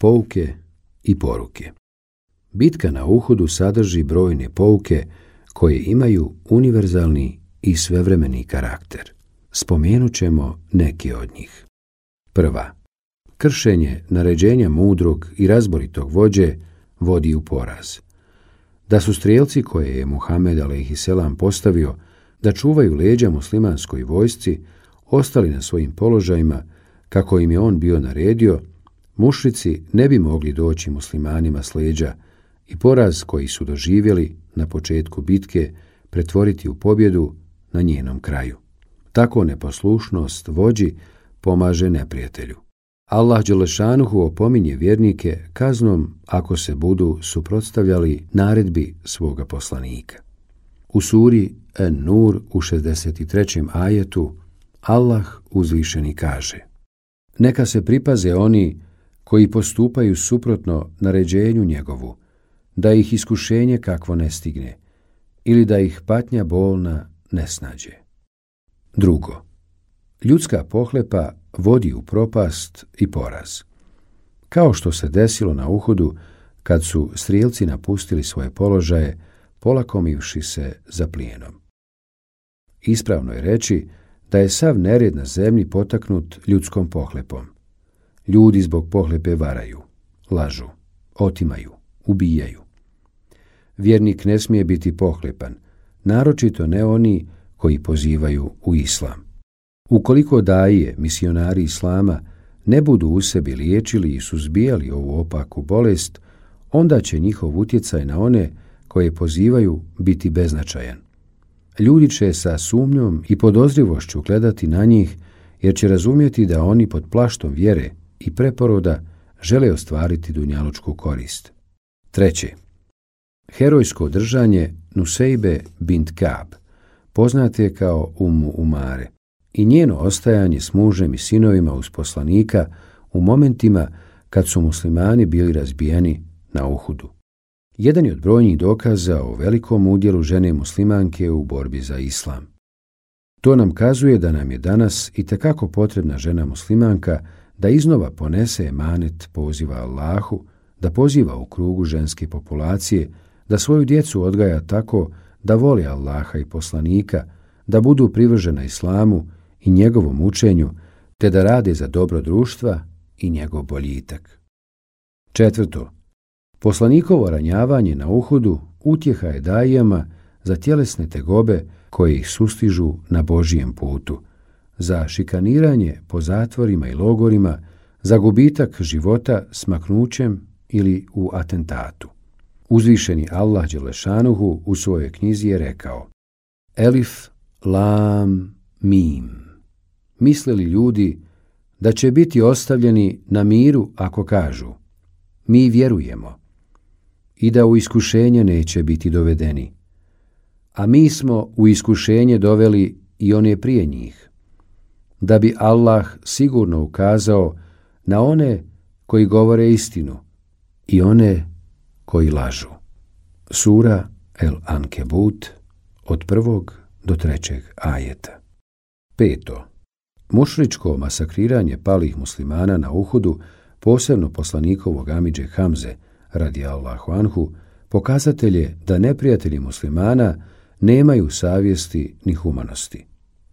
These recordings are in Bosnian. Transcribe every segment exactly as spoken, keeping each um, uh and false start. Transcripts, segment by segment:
Pouke i poruke. Bitka na Uhudu sadrži brojne pouke koje imaju univerzalni i svevremeni karakter. Spomenut ćemo neke od njih. Prva. Kršenje naređenja mudrog i razboritog vođe vodi u poraz. Da su strijelci koje je Muhammed alejhiselam postavio da čuvaju leđa muslimanskoj vojsci ostali na svojim položajima kako im je on bio naredio, mušrici ne bi mogli doći muslimanima s leđa i poraz koji su doživjeli na početku bitke pretvoriti u pobjedu na njenom kraju. Tako neposlušnost vođi pomaže neprijatelju. Allah dželešanuhu opominje vjernike kaznom ako se budu suprotstavljali naredbi svoga poslanika. U suri En-Nur u šezdeset trećem ajetu Allah uzvišeni kaže: Neka se pripaze oni koji postupaju suprotno naređenju njegovu, da ih iskušenje kakvo ne stigne ili da ih patnja bolna ne snađe. Drugo. Ljudska pohlepa vodi u propast i poraz. Kao što se desilo na Uhudu kad su strijelci napustili svoje položaje, polakomivši se za plijenom. Ispravno je reći da je sav nered na zemlji potaknut ljudskom pohlepom. Ljudi zbog pohlepe varaju, lažu, otimaju, ubijaju. Vjernik ne smije biti pohlepan, naročito ne oni koji pozivaju u islam. Ukoliko daje misionari islama ne budu u sebi liječili i suzbijali ovu opaku bolest, onda će njihov utjecaj na one koje pozivaju biti beznačajan. Ljudi će sa sumnjom i podozrivošću gledati na njih jer će razumjeti da oni pod plaštom vjere i preporoda žele ostvariti dunjalučku korist. Treće. Herojsko držanje Nusejbe bint Ka'b, poznate kao Ummu Umare, i njeno ostajanje s mužem i sinovima uz poslanika u momentima kad su muslimani bili razbijeni na Uhudu. Jedan je od brojnih dokaza o velikom udjelu žene muslimanke u borbi za islam. To nam kazuje da nam je danas itekako potrebna žena muslimanka da iznova ponese emanet poziva Allahu, da poziva u krugu ženske populacije, da svoju djecu odgaja tako da voli Allaha i poslanika, da budu privržena islamu i njegovom učenju, te da rade za dobro društva i njegov boljitak. Četvrto. Poslanikovo ranjavanje na Uhudu utjeha je dajama za tjelesne tegobe koje ih sustižu na Božijem putu, za šikaniranje po zatvorima i logorima, za gubitak života smaknućem ili u atentatu. Uzvišeni Allah dželešanuhu u svojoj knjizi je rekao: Elif, lam, mim. Mislili ljudi da će biti ostavljeni na miru ako kažu: mi vjerujemo, i da u iskušenje neće biti dovedeni. A mi smo u iskušenje doveli i one prije njih, da bi Allah sigurno ukazao na one koji govore istinu i one koji lažu. Sura El Ankebut od prvog do trećeg ajeta. Peto. Mušričko masakriranje palih muslimana na Uhudu, posebno poslanikovog amidže Hamze radijallahu anhu, pokazatelj je da neprijatelji muslimana nemaju savjesti ni humanosti.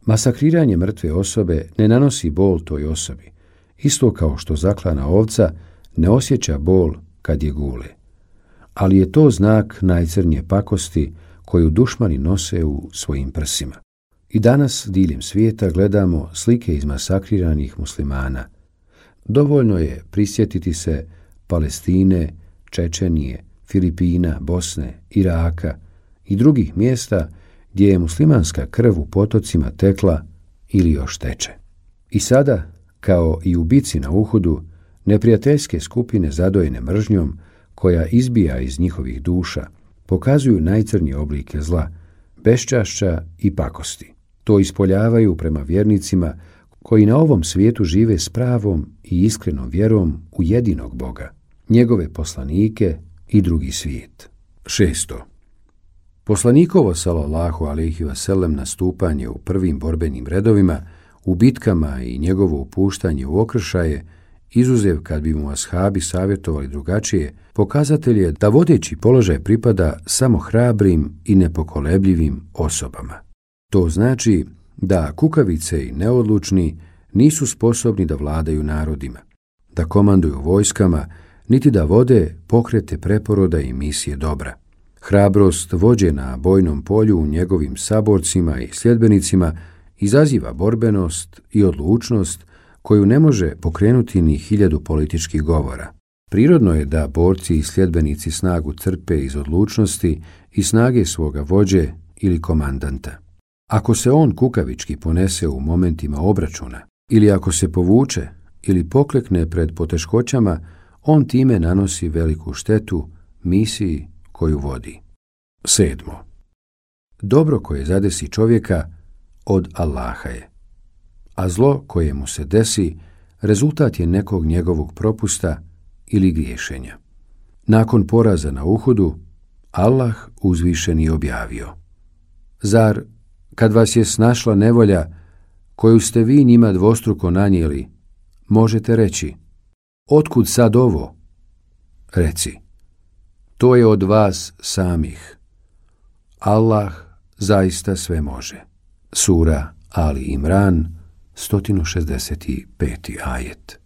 Masakriranje mrtve osobe ne nanosi bol toj osobi, isto kao što zaklana ovca ne osjeća bol kad je gule. Ali je to znak najcrnje pakosti koju dušmani nose u svojim prsima. I danas diljem svijeta gledamo slike izmasakriranih muslimana. Dovoljno je prisjetiti se Palestine, Čečenije, Filipina, Bosne, Iraka i drugih mjesta gdje je muslimanska krv u potocima tekla ili još teče. I sada, kao i u bici na Uhudu, neprijateljske skupine zadojene mržnjom koja izbija iz njihovih duša pokazuju najcrnije oblike zla, beščašća i pakosti. To ispoljavaju prema vjernicima koji na ovom svijetu žive s pravom i iskrenom vjerom u jedinog Boga, njegove poslanike i drugi svijet. Šesto. Poslanikovo sallallahu alejhi ve sellem nastupanje u prvim borbenim redovima, u bitkama i njegovo upuštanje u okršaje izuzev kad bi mu ashabi savjetovali drugačije, pokazatelj je da vodeći položaj pripada samo hrabrim i nepokolebljivim osobama. To znači da kukavice i neodlučni nisu sposobni da vladaju narodima, da komanduju vojskama, niti da vode pokrete preporoda i misije dobra. Hrabrost vođe na bojnom polju u njegovim saborcima i sljedbenicima izaziva borbenost i odlučnost koju ne može pokrenuti ni hiljadu političkih govora. Prirodno je da borci i sljedbenici snagu crpe iz odlučnosti i snage svoga vođe ili komandanta. Ako se on kukavički ponese u momentima obračuna, ili ako se povuče ili poklekne pred poteškoćama, on time nanosi veliku štetu misiji koju vodi. Sedmo. Dobro koje zadesi čovjeka od Allaha je, a zlo koje mu se desi rezultat je nekog njegovog propusta ili griješenja. Nakon poraza na Uhudu, Allah uzvišeni objavio: Zar, kad vas je snašla nevolja, koju ste vi njima dvostruko nanijeli, možete reći: otkud sad ovo? Reci: to je od vas samih. Allah zaista sve može. Sura Ali Imran, sto šezdeset peti ajet.